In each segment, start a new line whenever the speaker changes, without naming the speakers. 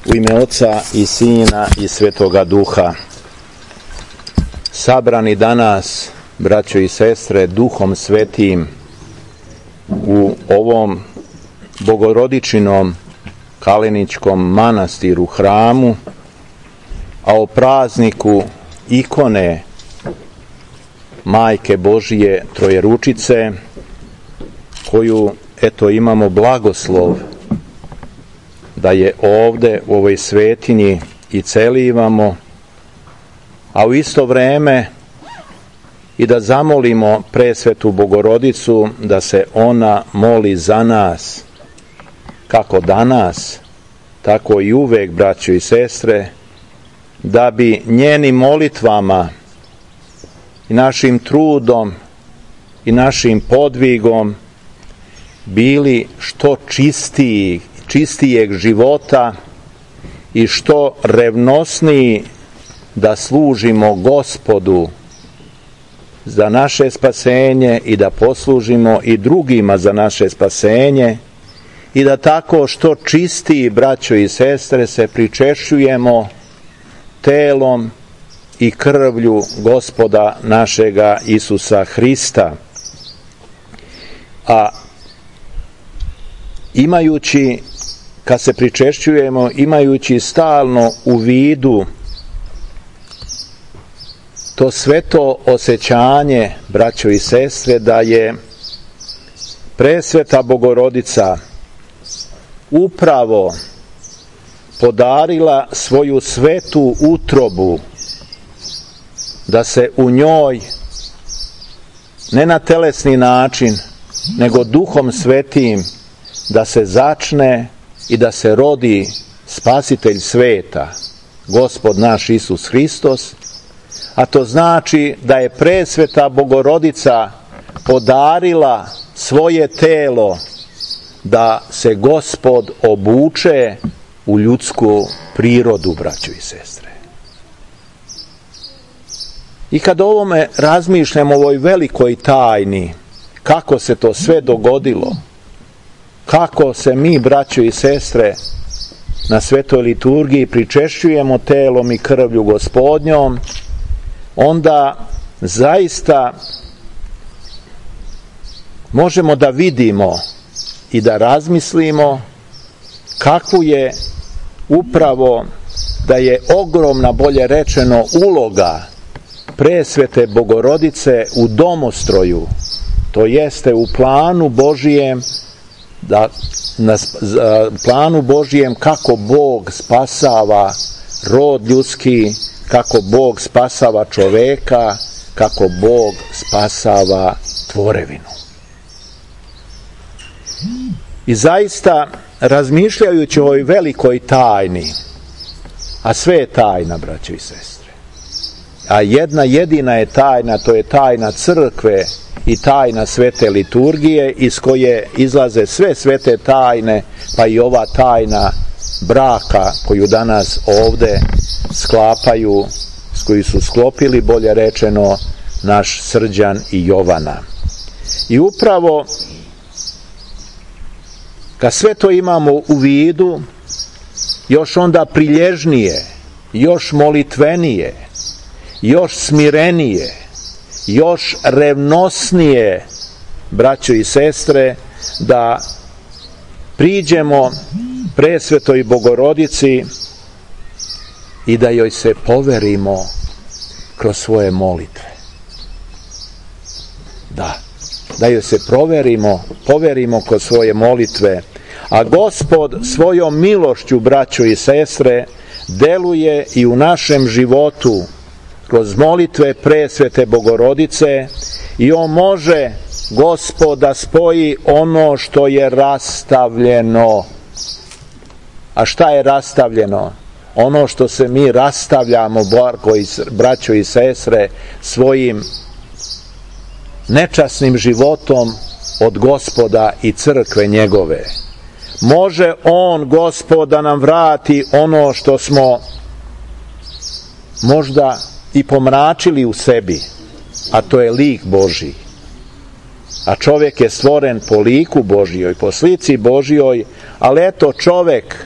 U ime Oca i Sina i Svetoga Duha. Sabrani danas, braćo i sestre, Duhom Svetim u ovom bogorodičinom Kaleničkom manastiru, hramu, a o prazniku ikone Majke Božije Trojeručice, koju imamo blagoslov da je ovde u ovoj svetinji i celivamo, a u isto vreme i da zamolimo presvetu Bogorodicu da se ona moli za nas, kako danas, tako i uvek, braćo i sestre, da bi njenim molitvama i našim trudom i našim podvigom bili što čistijeg života i što revnosniji da služimo Gospodu za naše spasenje i da poslužimo i drugima za naše spasenje i da tako što čistiji, braćo i sestre, se pričešćujemo telom i krvlju Gospoda našega Isusa Hrista. A imajući, kad se pričešćujemo, imajući stalno u vidu to sveto osjećanje, braćo i sestre, da je presveta Bogorodica upravo podarila svoju svetu utrobu, da se u njoj ne na telesni način, nego Duhom Svetim da se začne i da se rodi Spasitelj sveta, Gospod naš Isus Hristos, a to znači da je presveta Bogorodica podarila svoje telo da se Gospod obuče u ljudsku prirodu, braćo i sestre. I kad o ovome razmišljamo, o ovoj velikoj tajni, kako se to sve dogodilo, kako se mi, braćo i sestre, na svetoj liturgiji pričešćujemo telom i krvlju Gospodnjom, onda zaista možemo da vidimo i da razmislimo kakvu je upravo, da je ogromna, bolje rečeno, uloga presvete Bogorodice u domostroju, to jeste u planu Božijem, da na planu Božijem kako Bog spasava rod ljudski, kako Bog spasava čoveka, kako Bog spasava tvorevinu. I zaista, razmišljajući o ovoj velikoj tajni, a sve je tajna, braćo i sestre, a jedna jedina je tajna, to je tajna crkve i tajna svete liturgije, iz koje izlaze sve svete tajne, pa i ova tajna braka koju danas ovde sklapaju, s koju su sklopili, bolje rečeno, naš Srđan i Jovana. I upravo kad sve to imamo u vidu, još onda prilježnije, još molitvenije, još smirenije, još revnosnije, braćo i sestre, da priđemo presvetoj Bogorodici i da joj se poverimo kroz svoje molitve. Da joj se poverimo kroz svoje molitve, a Gospod svojom milošću, braćo i sestre, deluje i u našem životu kroz molitve presvete Bogorodice i on može, Gospod, da spoji ono što je rastavljeno. A šta je rastavljeno? Ono što se mi rastavljamo, braćo i sestre, svojim nečasnim životom od Gospoda i crkve njegove. Može on, Gospod, da nam vrati ono što smo možda i pomračili u sebi, a to je lik Božji. A čovjek je stvoren po liku Božjoj, po slici Božjoj, ali eto čovjek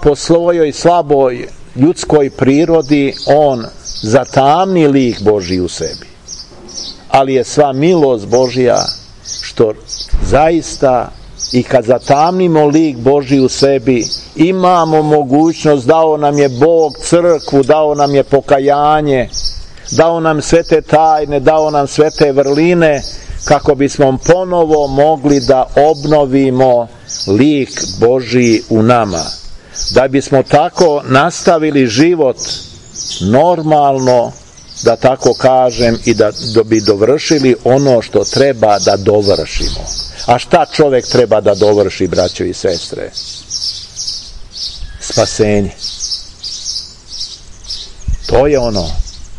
po svojoj slaboj ljudskoj prirodi on zatamni lik Božji u sebi. Ali je sva milost Božja što zaista i kad zatamnimo lik Božji u sebi, imamo mogućnost, dao nam je Bog crkvu, dao nam je pokajanje, dao nam sve te tajne, dao nam sve te vrline, kako bismo ponovo mogli da obnovimo lik Božji u nama. Da bismo tako nastavili život normalno, da tako kažem, i da bi dovršili ono što treba da dovršimo. A šta čovjek treba da dovrši, braćo i sestre? Spasenje. To je ono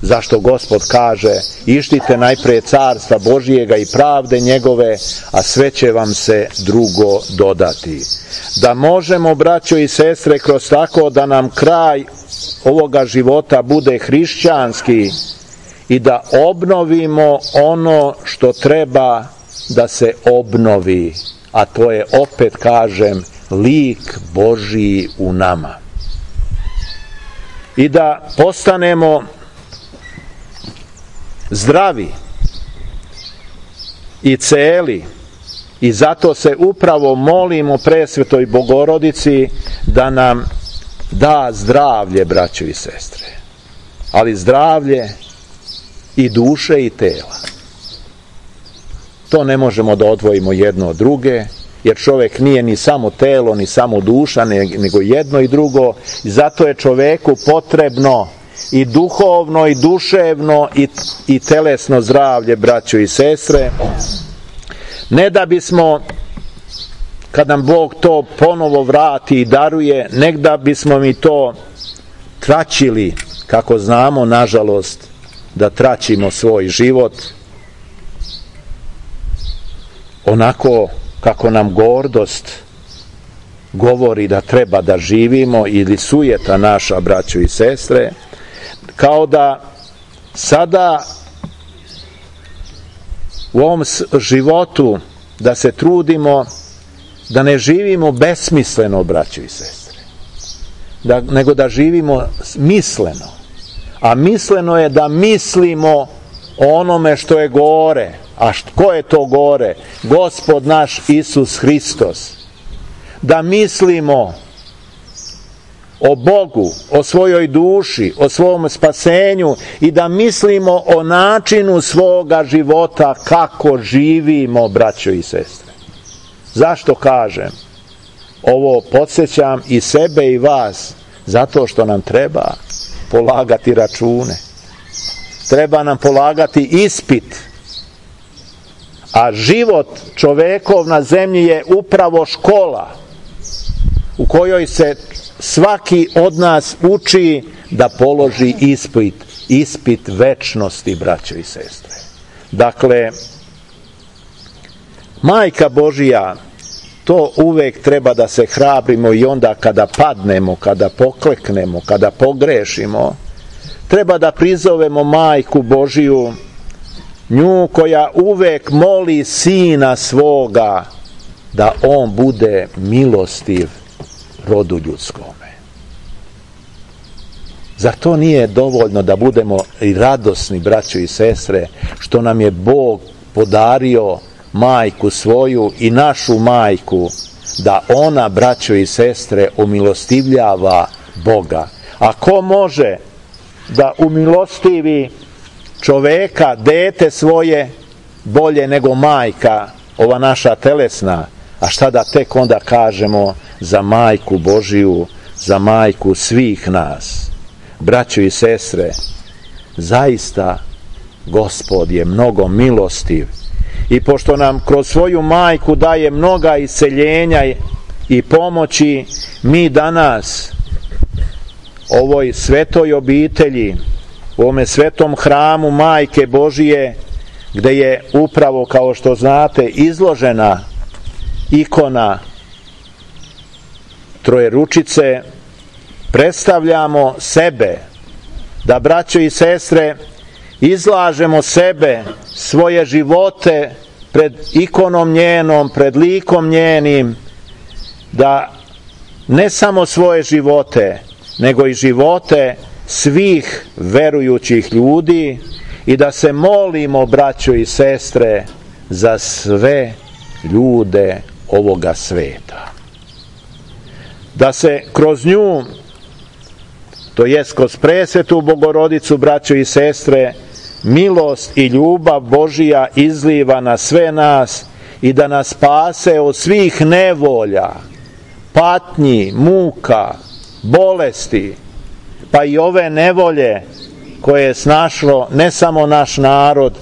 zašto Gospod kaže: ištite najprije carstva Božijega i pravde njegove, a sve će vam se drugo dodati. Da možemo, braćo i sestre, kroz tako da nam kraj ovoga života bude hrišćanski i da obnovimo ono što treba da se obnovi, a to je, opet kažem, lik Božji u nama. I da postanemo zdravi i celi, i zato se upravo molimo Presvetoj Bogorodici da nam da zdravlje, braćo i sestre, ali zdravlje i duše i tela. To ne možemo da odvojimo jedno od druge, jer čovjek nije ni samo telo, ni samo duša, nego jedno i drugo. I zato je čovjeku potrebno i duhovno, i duševno, i telesno zdravlje, braćo i sestre. Ne da bismo, kad nam Bog to ponovo vrati i daruje, ne da bismo mi to traćili, kako znamo, nažalost, da traćimo svoj život onako kako nam gordost govori da treba da živimo, ili sujeta naša, braćo i sestre, kao da sada u ovom životu da se trudimo da ne živimo besmisleno, braćo i sestre, nego da živimo misleno. A misleno je da mislimo o onome što je gore. A ko je to gore? Gospod naš Isus Hristos. Da mislimo o Bogu, o svojoj duši, o svom spasenju, i da mislimo o načinu svoga života, kako živimo, braćo i sestre. Zašto kažem? Ovo podsjećam i sebe i vas, zato što nam treba polagati račune. Treba nam polagati ispit. A život čovekov na zemlji je upravo škola u kojoj se svaki od nas uči da položi ispit večnosti, braćo i sestre. Dakle, Majka Božija, to uvek treba da se hrabrimo, i onda kada padnemo, kada pokleknemo, kada pogrešimo, treba da prizovemo Majku Božiju, nju koja uvek moli Sina svoga da on bude milostiv rodu ljudskome. Zar to nije dovoljno da budemo i radosni, braćo i sestre, što nam je Bog podario majku svoju i našu majku, da ona, braćo i sestre, umilostivljava Boga. A ko može da umilostivi čoveka, dete svoje, bolje nego majka, ova naša telesna? A šta da tek onda kažemo za Majku Božiju, za majku svih nas? Braćo i sestre, zaista Gospod je mnogo milostiv, i pošto nam kroz svoju majku daje mnoga isceljenja i pomoći, mi danas ovoj svetoj obitelji, u ovome svetom hramu Majke Božije, gde je upravo, kao što znate, izložena ikona Trojeručice, predstavljamo sebe, da, braćo i sestre, izlažemo sebe, svoje živote pred ikonom njenom, pred likom njenim, da ne samo svoje živote, nego i živote svih verujućih ljudi i da se molimo, braćo i sestre, za sve ljude ovoga sveta. Da se kroz nju, to jest kroz presvetu Bogorodicu, braćo i sestre, milost i ljubav Božija izliva na sve nas i da nas spase od svih nevolja, patnji, muka, bolesti, pa i ove nevolje koje je snašlo ne samo naš narod,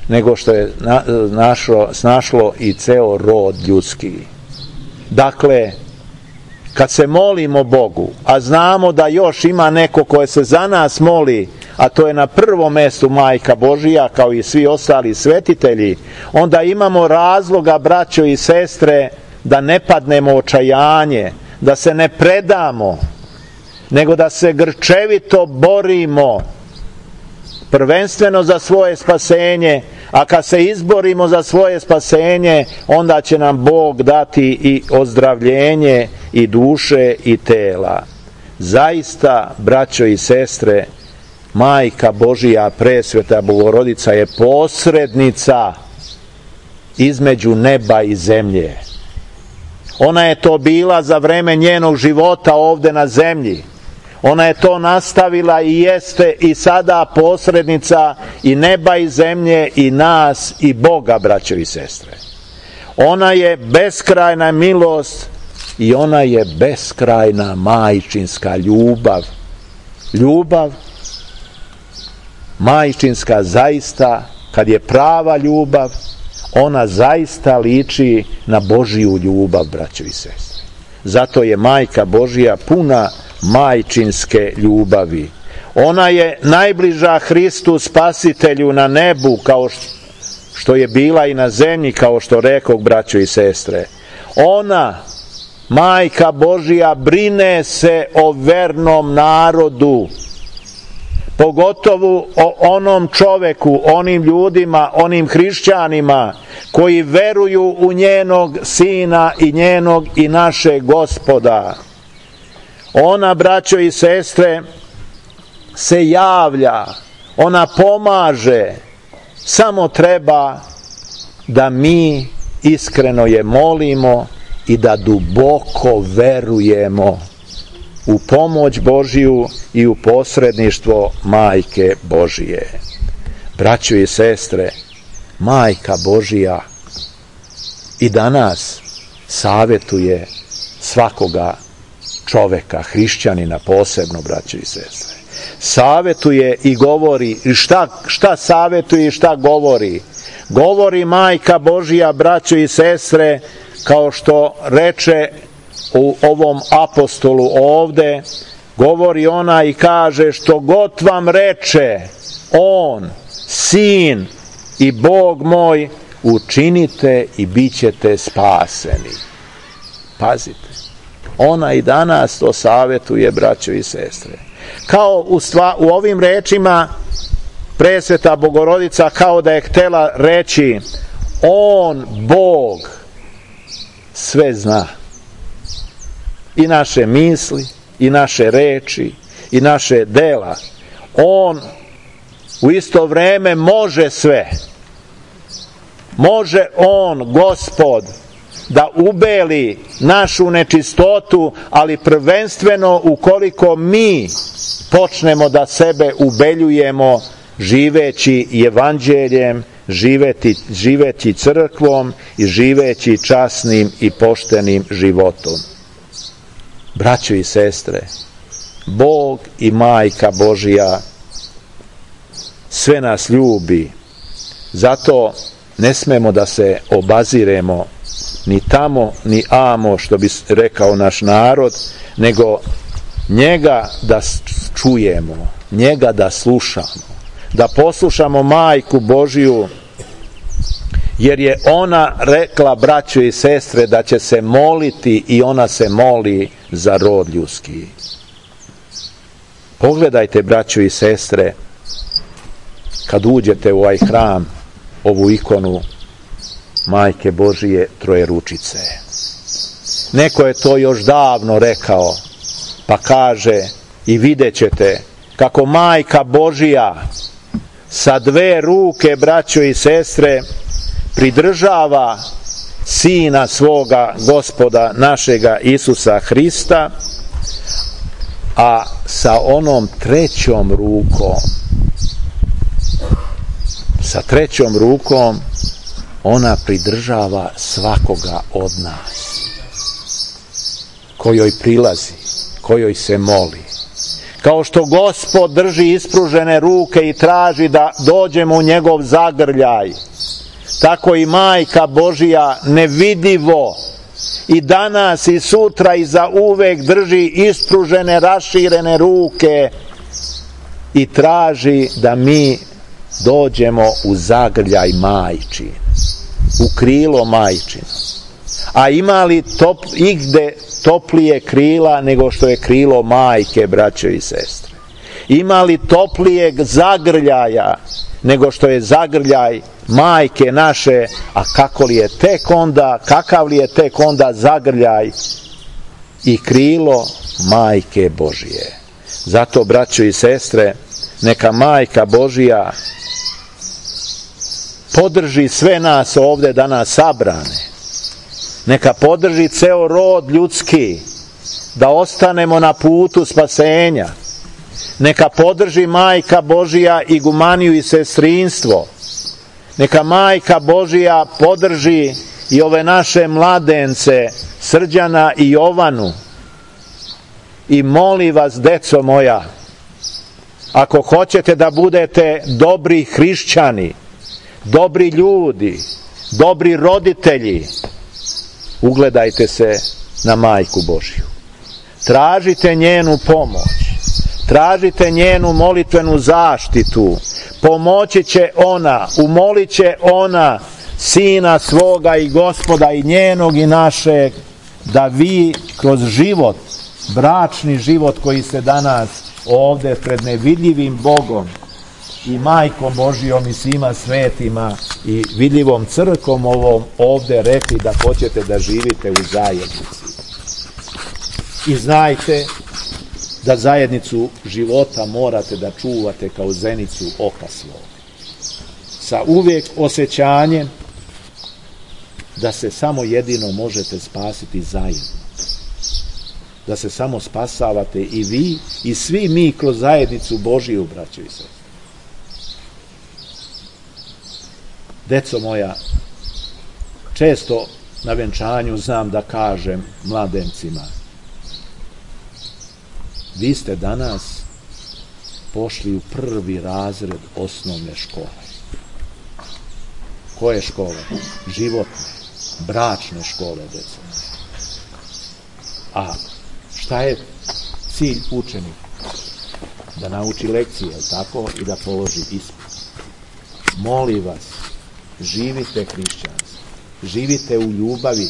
nego što je snašlo i ceo rod ljudski. Dakle, kad se molimo Bogu, a znamo da još ima neko koje se za nas moli, a to je na prvom mestu Majka Božija, kao i svi ostali svetitelji, onda imamo razloga, braćo i sestre, da ne padnemo u očajanje, da se ne predamo, nego da se grčevito borimo, prvenstveno za svoje spasenje, a kad se izborimo za svoje spasenje, onda će nam Bog dati i ozdravljenje i duše i tela. Zaista, braćo i sestre, Majka Božija, presveta Bogorodica, je posrednica između neba i zemlje. Ona je to bila za vreme njenog života ovde na zemlji. Ona je to nastavila i jeste i sada posrednica i neba i zemlje i nas i Boga, braćo i sestre. Ona je beskrajna milost i ona je beskrajna majčinska ljubav. Ljubav majčinska zaista, kad je prava ljubav, ona zaista liči na Božiju ljubav, braćo i sestre. Zato je Majka Božija puna majčinske ljubavi. Ona je najbliža Hristu Spasitelju na nebu, kao što je bila i na zemlji, kao što rekao, braćo i sestre. Ona, Majka Božija, brine se o vernom narodu, pogotovo o onom čoveku, onim ljudima, onim hrišćanima koji veruju u njenog Sina i njenog i našeg Gospoda. Ona, braćo i sestre, se javlja, ona pomaže, samo treba da mi iskreno je molimo i da duboko verujemo u pomoć Božiju i u posredništvo Majke Božije. Braćo i sestre, Majka Božija i danas savjetuje svakoga čoveka, hrišćanina posebno, braćo i sestre. Savjetuje i govori, i šta savjetuje i šta govori? Govori Majka Božija, braćo i sestre, kao što reče u ovom apostolu ovde, govori ona i kaže: što god vam reče on, Sin i Bog moj, učinite i bit ćete spaseni. Pazite, ona i danas to savjetuje, braćo i sestre. Kao u ovim rečima presveta Bogorodica kao da je htela reći: on, Bog, sve zna. I naše misli, i naše reči, i naše dela. On u isto vreme može sve. Može on, Gospod, da ubeli našu nečistotu, ali prvenstveno ukoliko mi počnemo da sebe ubeljujemo živeći evanđeljem, živeći crkvom i živeći časnim i poštenim životom. Braćo i sestre, Bog i Majka Božija sve nas ljubi, zato ne smemo da se obaziremo ni tamo ni amo, što bi rekao naš narod, nego njega da čujemo, njega da slušamo, da poslušamo Majku Božiju, jer je ona rekla, braćo i sestre, da će se moliti i ona se moli za rod ljudski. Pogledajte, braćo i sestre, kad uđete u ovaj hram, ovu ikonu Majke Božije Trojeručice. Neko je to još davno rekao, pa kaže i vidjet ćete kako Majka Božija sa dve ruke, braćo i sestre, pridržava Sina svoga Gospoda našega Isusa Hrista, a sa onom trećom rukom ona pridržava svakoga od nas, kojoj prilazi, kojoj se moli. Kao što Gospod drži ispružene ruke i traži da dođemo u njegov zagrljaj, tako i Majka Božija nevidivo i danas i sutra i za uvek drži ispružene, raširene ruke i traži da mi dođemo u zagrljaj majčin, u krilo majčino. A ima li igde toplije krila nego što je krilo majke, braćo i sestre? Ima li toplijeg zagrljaja nego što je zagrljaj majke naše? A kakav li je tek onda zagrljaj i krilo Majke Božije? Zato, braćo i sestre, neka Majka Božija podrži sve nas ovde danas sabrane. Neka podrži ceo rod ljudski da ostanemo na putu spasenja. Neka podrži Majka Božija igumaniju i sestrinstvo. Neka Majka Božija podrži i ove naše mladence, Srđana i Jovanu. I molim vas, deco moja, ako hoćete da budete dobri hrišćani, dobri ljudi, dobri roditelji, ugledajte se na Majku Božiju. Tražite njenu pomoć, tražite njenu molitvenu zaštitu, pomoći će ona, umolit će ona Sina svoga i Gospoda i njenog i našeg, da vi kroz život, bračni život koji se danas ovde pred nevidljivim Bogom i Majkom Božijom i svima svetima i vidljivom crkvom ovom ovde rekli da hoćete da živite u zajednici. I znajte da zajednicu života morate da čuvate kao zenicu oka svog. Sa uvijek osjećanjem da se samo jedino možete spasiti zajedno. Da se samo spasavate i vi i svi mi kroz zajednicu Božiju, braćo i sestre. Deco moja, često na venčanju znam da kažem mladencima: vi ste danas pošli u prvi razred osnovne škole. Koje škole? Životne, bračne škole, deco. A šta je cilj učenika? Da nauči lekcije, je li tako? I da položi ispit. Molim vas, živite hrišćanstvo, živite u ljubavi,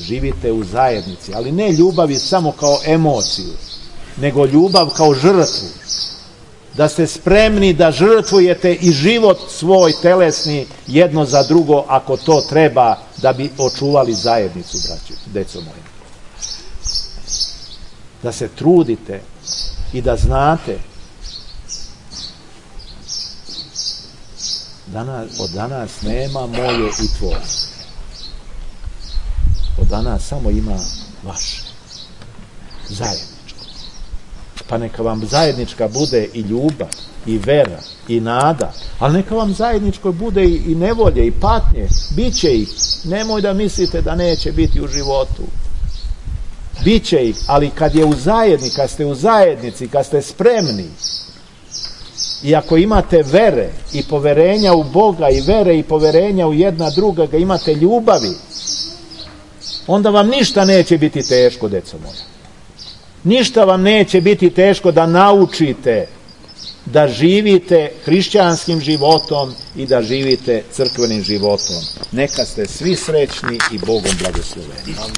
živite u zajednici, ali ne ljubavi samo kao emociju, nego ljubav kao žrtvu. Da ste spremni da žrtvujete i život svoj telesni jedno za drugo, ako to treba, da bi očuvali zajednicu, braćo, deco moje. Da se trudite i da znate od danas nema moje i tvoje. Od danas samo ima vaše. Zajedničko. Pa neka vam zajednička bude i ljubav, i vera, i nada, ali neka vam zajedničko bude i nevolje, i patnje. Biće ih. Nemoj da mislite da neće biti u životu. Biće ih, ali kad je u zajednici, kad ste u zajednici, kad ste spremni, i ako imate vere i poverenja u Boga i vere i poverenja u jedna druga, imate ljubavi, onda vam ništa neće biti teško, deco moja. Ništa vam neće biti teško da naučite da živite hrišćanskim životom i da živite crkvenim životom. Neka ste svi srećni i Bogom blagosloveni.